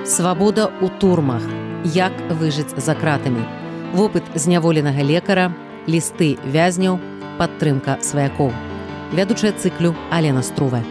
Свабода ў турмах. Як выжыць за кратамі. Вопыт зняволенага лекара, лісты вязняў, падтрымка сваякоў. Вядучая цыклю Алена Струве.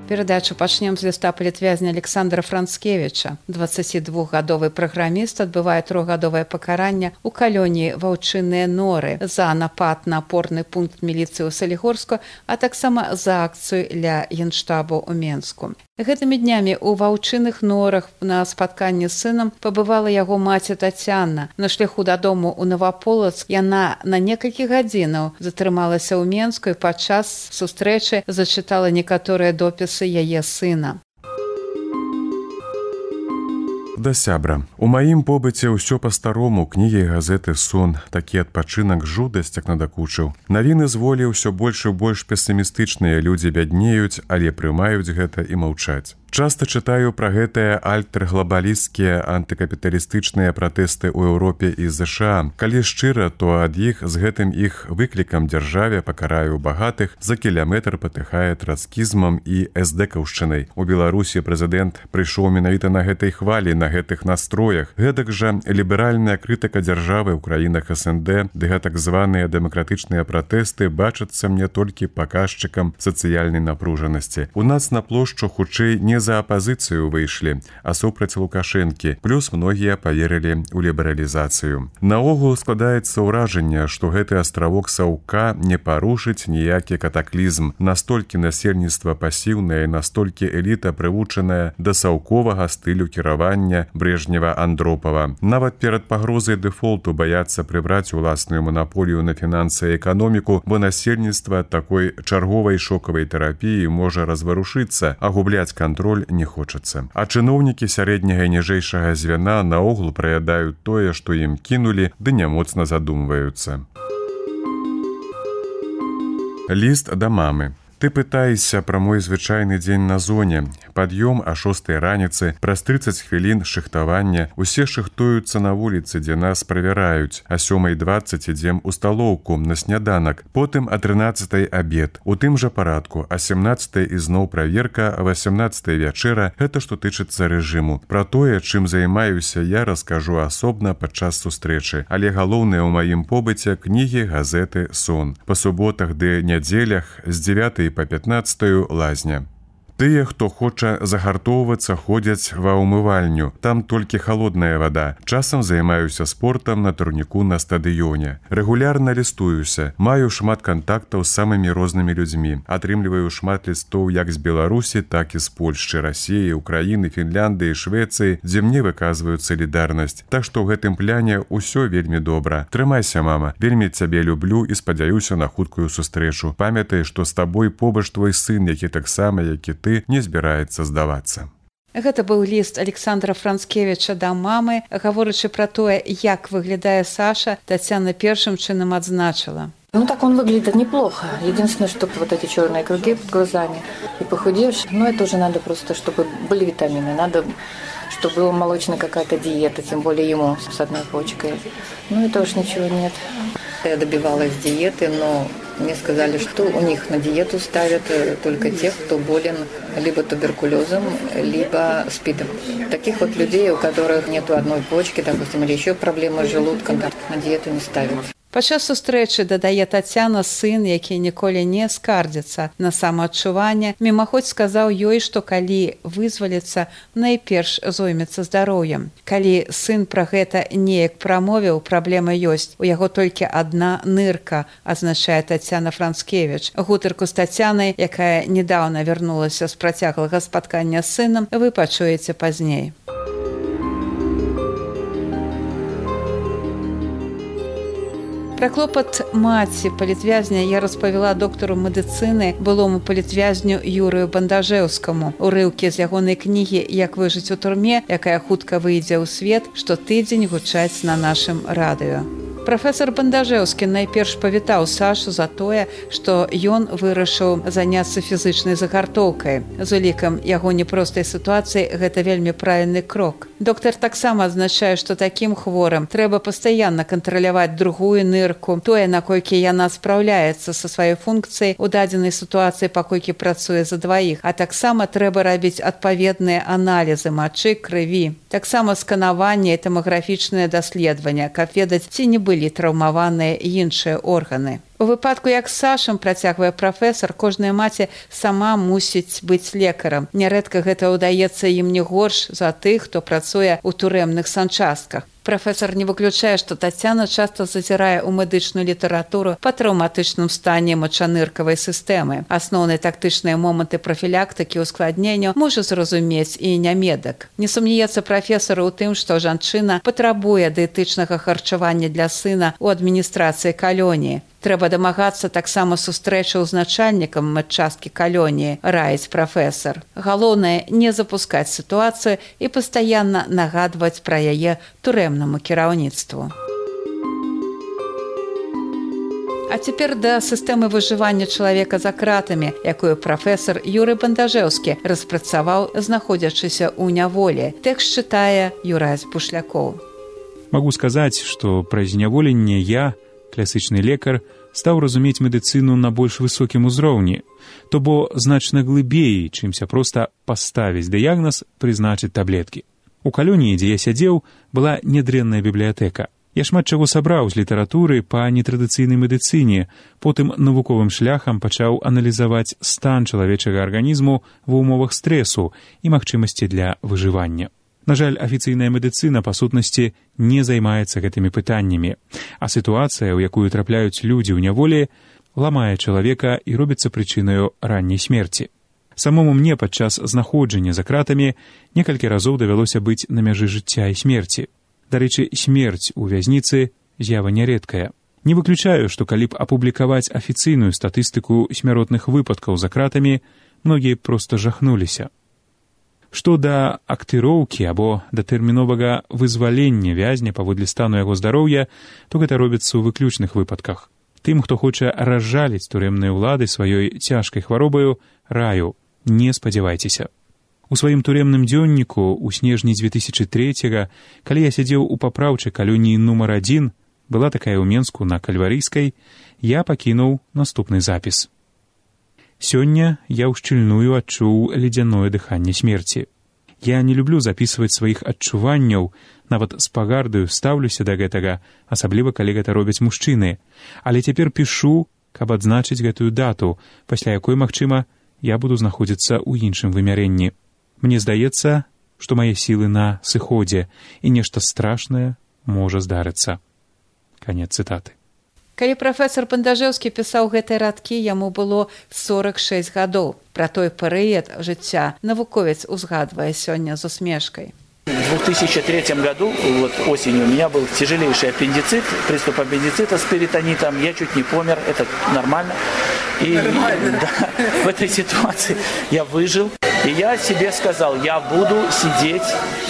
Перадачу пачнем з ліста палітвязня Александра Францкевіча. 22-гадовы праграміст адбывае 3-гадовае пакаранне ў калоніі Ваўчыныя Норы за напад на апорны пункт міліцыі ў Салігорску, а таксама за акцыю ля генштабу ў Менску. Гэтымі днямі ў Ваўчыных Норах на спатканні з сынам пабывала яго маці Тацяна. На шляху дадому ў Новаполацк яна на некалькі гадзінаў затрымалася ў Менску і падчас сустрэчы зачытала некаторыя допісы яе сына. Да сябра. У маім побыце ўсё па-старому, кнігі, газеты, сон, такі адпачынак, жудасць як надакучыў. Навіны з волі ўсё больш і больш песімістычныя, людзі бяднеюць, але прымаюць гэта і маўчаць. Часта чытаю пра гэтыя альтэрглабалісцкія антыкапіталістычныя пратэсты ў Еўропе і ЗША. Калі шчыра, то ад іх з гэтым іх выклікам дзяржаве пакараю багатых за кіляметр патыхае трацкізмам і эсдэкаўшчынай. У Беларусі прэзідэнт прыйшоў менавіта на гэтай хвалі, на гэтых настроях. Гэтак жа ліберальная крытыка дзяржавы ў краінах СНД, ды гэтак званыя дэмакратычныя пратэсты бачацца мне толькі паказчыкам сацыяльнай напружанасці. У нас на плошчу хутчэй не за апазіцыю выйшлі, а супраць Лукашэнкі, плюс многія паверылі ў лібералізацыю. Наогул складаецца ўражанне, што гэты астравок Саўка не парушыць ніякі катаклізм. Настолькі насельніцтва пасіўнае, настолькі эліта прывучаная да саўковага стылю кіравання Брежнева-Андропава. Нават перад пагрозай дэфолту баяцца прыбраць уласную манаполію на фінансы і эканоміку, бо насельніцтва такой чарговай шокавай тэрапіі можа разварушыцца, а губляць кантроль не хочацца. А чыноўнікі сярэдняга і ніжэйшага звяна наогул праядаюць тое, што ім кінулі, ды нямоцна задумваюцца. Ліст да мамы. Ты пытаешся пра мой звычайны дзень на зоне. Пад'ём а 6 раніцы, праз 30 хвілін шыхтавання, усе шыхтуюцца на вуліцы, дзе нас правяраюць. А 7:20 ідзем у сталоўку на сняданак, потым а 13 абед. У тым жа парадку, а 17 ізноў праверка, а 18 вячэра. Гэта што тычыцца рэжыму. Пра тое, чым займаюся, я раскажу асобна падчас сустрэчы. Але галоўнае ў маім побыце кнігі, газеты, сон. Па суботах ды нядзелях з 9 по 15 лазня. Тыя, хто хоча загартоўвацца, ходзяць ва ўмывальню. Там толькі халодная вада. Часам займаюся спортам на турніку на стадыёне. Рэгулярна лістуюся. Маю шмат кантактаў з самымі рознымі людзьмі. Атрымліваю шмат лістоў як з Беларусі, так і з Польшчы, Расіі, Украіны, Фінляндыі, Швецыі, дзе мне выказваюць салідарнасць. Так што ў гэтым пляне ўсё вельмі добра. Трымайся, мама. Вельмі цябе люблю і спадзяюся на хуткую сустрэчу. Памятай, што з табой побач твой сын, які таксама, як і ты, не збіраецца здавацца. Гэта быў ліст Александра Францкевіча да мамы. Гаворачы пра тое, як выглядае Саша, Тацяна першым чынам адзначыла. Ну так он выглядит неплохо. Единственное, что вот эти черные круги под глазами и похудевший. Но это уже надо просто, чтобы были витамины. Надо, чтобы была молочная какая-то диета, тем более ему с одной почкой. Ну это уж ничего нет. Я добивалась диеты, но мне сказали, что у них на диету ставят только тех, кто болен либо туберкулезом, либо СПИДом. Таких вот людей, у которых нету одной почки, допустим, или еще проблемы с желудком, на диету не ставят. Падчас сустрэчы, дадае Тацяна, сын, які ніколі не скардзіцца на самаадчуванне, мімаходзь сказаў ёй, што калі вызваліцца, найперш зоймецца здароўем. Калі сын пра гэта неяк прамовіў, праблема ёсць. У яго толькі адна нырка, азначае Тацяна Францкевіч. Гутарку з Тацянай, якая недаўна вярнулася з працяглага спаткання з сынам, вы пачуеце пазней. Пра клопат маці палітвязня я распавяла доктару медыцыны, былому палітвязню Юрыю Бандажэўскаму. Урыўкі з ягонай кнігі «Як выжыць у турме», якая хутка выйдзе ў свет, штотыдзень гучаць на нашым радыё. Прафесор Бандажэўскі найперш павітаў Сашу за тое, што ён вырашыў заняцца фізычнай загартоўкай. З улікам яго непростай сітуацыі гэта вельмі правільны крок. Доктар таксама адзначае, што такім хворым трэба пастаянна кантраляваць другую нырку, тое, наколькі яна спраўляецца са сваёй функцыяй у дадзенай сітуацыі, паколькі працуе за дваіх, а таксама трэба рабіць адпаведныя аналізы мачы, крыві. Таксама сканаванне і томаграфічнае даследаванне, каб ведаць, ці не былі траўмаваныя іншыя органы. У выпадку, як з Сашам, працягвае прафесар, кожная маці сама мусіць быць лекарам. Нярэдка гэта ўдаецца ім не горш за тых, хто працуе ў турэмных санчастках. Прафесар не выключае, што Тацяна часта зазірае ў медычную літаратуру па траўматычным стане мачаныркавай сістэмы. Асноўныя тактычныя моманты прафілактыкі ускладнення можа зразумець і нямедак. Не сумнеецца прафесар у тым, што жанчына патрабуе дыетычнага харчавання для сына ў адміністрацыі калоніі. Трэба дамагацца таксама сустрэчаў з начальнікам медчасткі калоніі, раіць прафесар. Галоўнае не запускаць сітуацыю і пастаянна нагадваць пра яе турэмнаму кіраўніцтву. А цяпер да сістэмы выжывання чалавека за кратамі, якую прафесар Юрый Бандажэўскі распрацаваў, знаходзячыся ў няволі. Тэкст чытае Юрась Бушлякоў. Магу сказаць, што праз зняволенне я, класычны лекар, стаў разумець медыцыну на больш высокім узроўні, то бо значна глыбей, чымся проста паставіць дыягназ, прызначыць таблеткі. У калоніі, дзе я сядзеў, была нядрэнная бібліятэка. Я шмат чаго сабраў з літаратуры па нетрадыцыйнай медыцыне, потым навуковым шляхам пачаў аналізаваць стан чалавечага арганізму ва ўмовах стрэсу і магчымасці для выжывання. На жаль, афіцыйная медыцына, па сутнасці, не займаецца гэтымі пытаннямі, а сітуацыя, у якую трапляюць людзі ў няволі, ламае чалавека і робіцца прычынаю ранняй смерці. Самому мне падчас знаходжання за кратамі некалькі разоў давялося быць на мяжы жыцця і смерці. Дарэчы, смерць у вязніцы з'ява нярэдкая. Не выключаю, што калі б апублікаваць афіцыйную статыстыку смяротных выпадкаў за кратамі, многія проста жахнуліся. Што да актыроўкі або да тэрміновага вызвалення вязня паводле стану яго здароўя, то гэта робіцца ў выключных выпадках. Тым, хто хоча разжаліць турэмныя ўлады сваёй цяжкай хваробаю, раю, не спадзявайцеся. У сваім турэмным дзённіку ў снежні 2003-га, калі я сядзеў у папраўчай калоніі нумар 1, была такая ў Менску на Кальварыйскай, я пакінуў наступны запіс. Сёння я ўшчыльную адчуў ледзяное дыханне смерці. Я не люблю запісваць сваіх адчуванняў, нават з пагардаю стаўлюся да гэтага, асабліва калі гэта робяць мужчыны. Але цяпер пішу, каб адзначыць гэтую дату, пасля якой, магчыма, я буду знаходзіцца ў іншым вымярэнні. Мне здаецца, што мае сілы на сыходзе, і нешта страшнае можа здарыцца. Канец цытаты. Калі прафесар Бандажэўскі пісаў гэтыя радкі, яму было 46 гадоў. Пра той перыяд жыцця навуковец узгадвае сёння з усмешкай. В 2003 году, вот осенью, у меня был тяжелейший аппендицит, приступ аппендицита с перитонитом. Я чуть не помер, это нормально. И да, в этой ситуации я выжил. И я себе сказал, я буду сидеть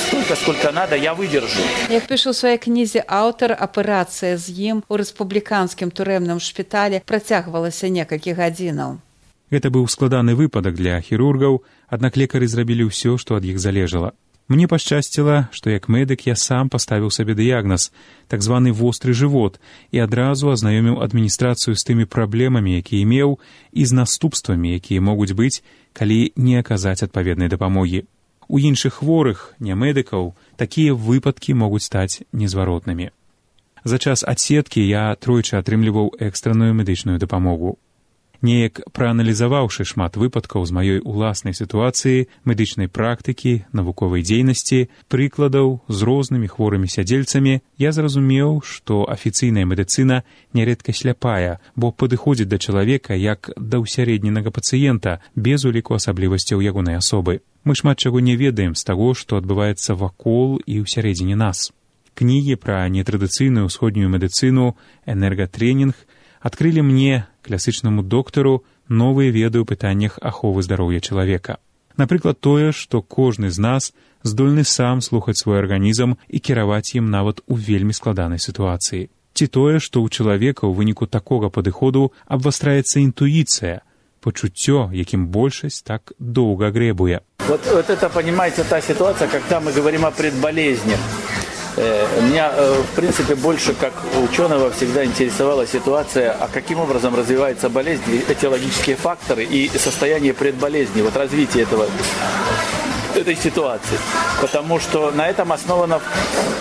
столько, сколько надо, я выдержу. Як пішу ў сваёй кнізе аўтар, аперацыя з ім у рэспубліканскім турэмным шпіталі працягвалася некалькі гадзінаў. Гэта быў складаны выпадак для хірургаў, аднак лекары зрабілі ўсё, што ад іх залежала. Мне пашчасціла, што як медык я сам паставіў сабе дыягназ, так званы востры жывот, і адразу азнаёміў адміністрацыю з тымі праблемамі, якія меў, і з наступствамі, якія могуць быць, калі не аказаць адпаведнай дапамогі. У іншых хворых, не медыкаў, такія выпадкі могуць стаць незваротнымі. За час адседкі я тройчы атрымліваў экстранную медычную дапамогу. Неяк прааналізаваўшы шмат выпадкаў з маёй уласнай сітуацыі, медычнай практыкі, навуковай дзейнасці, прыкладаў з рознымі хворымі сядзельцамі, я зразумеў, што афіцыйная медыцына нярэдка сляпая, бо падыходзіць да чалавека як да ўсярэдненага пацыента, без уліку асаблівасцяў ягонай асобы. Мы шмат чаго не ведаем з таго, што адбываецца вакол і ўсярэдзіне нас. Кнігі пра нетрадыцыйную ўсходнюю медыцыну, энергатрэнінг адкрылі мне, класычнаму доктару, новыя веды ў пытаннях аховы здароўя чалавека. Напрыклад, тое, што кожны з нас здольны сам слухаць свой арганізм і кіраваць ім нават у вельмі складанай сітуацыі. Ці тое, што ў чалавека ў выніку такога падыходу абвастраецца інтуіцыя, пачуццё, якім большасць так доўга грэбуе. Вот это, понимаете, та ситуация, когда мы говорим о предболезнях. Меня, в принципе, больше как ученого всегда интересовала ситуация, а каким образом развивается болезнь, этиологические факторы и состояние предболезни, вот развитие этой ситуации. Потому что на этом основана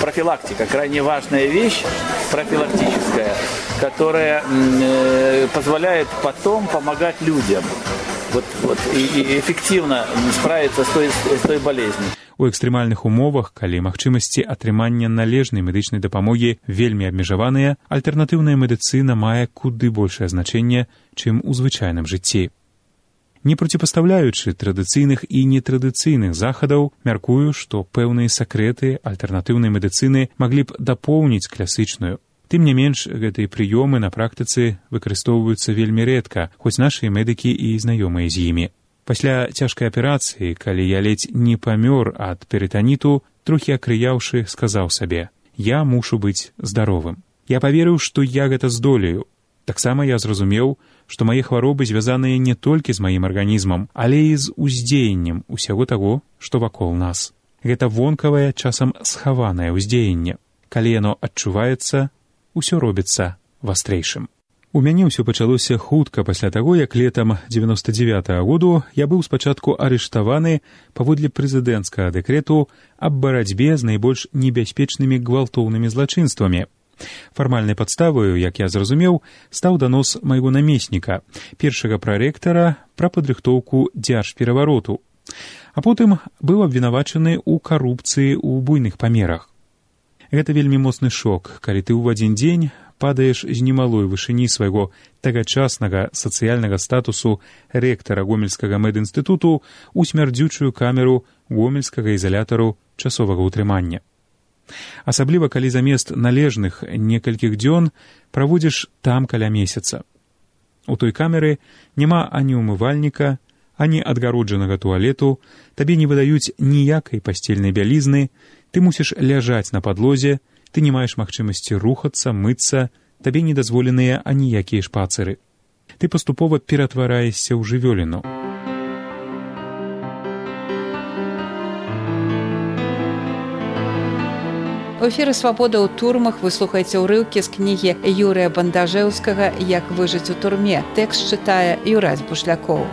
профилактика, крайне важная вещь, профилактическая, которая позволяет потом помогать людям и эффективно справиться с той болезнью. У экстрэмальных умовах, калі магчымасці атрымання належнай медычнай дапамогі вельмі абмежаваныя, альтэрнатыўная медыцына мае куды большае значэнне, чым у звычайным жыцці. Не проціпастаўляючы традыцыйных і нетрадыцыйных захадаў, мяркую, што пэўныя сакрэты альтэрнатыўнай медыцыны маглі б дапоўніць класычную. Тым не менш, гэтыя прыёмы на практыцы выкарыстоўваюцца вельмі рэдка, хоць нашыя медыкі і знаёмыя з імі. Пасля цяжкай аперацыі, калі я ледзь не памёр ад перытаніту, трохі акрыяўшы, сказаў сабе: «Я мушу быць здаровым». Я паверыў, што я гэта здолею. Таксама я зразумеў, што мае хваробы звязаныя не толькі з маім арганізмам, але і з уздзеяннем усяго таго, што вакол нас. Гэта вонкавае, часам схаванае ўздзеянне. Калі яно адчуваецца, усё робіцца вастрэйшым. У мяне ўсё пачалося хутка пасля таго, як летам 99-го году я быў спачатку арыштаваны паводле прэзідэнцкага дэкрэту аб барацьбе з найбольш небяспечнымі гвалтоўнымі злачынствамі. Фармальнай падставаю, як я зразумеў, стаў данос майго намесніка, першага прарэктара, пра падрыхтоўку дзяржперавароту. А потым быў абвінавачаны ў карупцыі ў буйных памерах. Гэта вельмі моцны шок, калі ты ў адзін дзень падаеш з немалой вышыні свайго тагачаснага сацыяльнага статусу рэктара Гомельскага медінстытуту ў смярдзючую камеру гомельскага ізалятару часовага ўтрымання. Асабліва, калі замест належных некалькіх дзён праводзіш там каля месяца. У той камеры няма ані ўмывальніка, ані адгароджанага туалету, табе не выдаюць ніякай пасцельнай бялізны, ты мусіш ляжаць на падлозе, ты не маеш магчымасці рухацца, мыцца, табе не дазволеныя аніякія шпацыры. Ты паступова ператвараешся ў жывёліну. У эфіры «Свабода ў турмах» вы слухаеце ўрыўкі з кнігі Юрыя Бандажэўскага «Як выжыць у турме». Тэкст чытае Юрась Бушлякоў.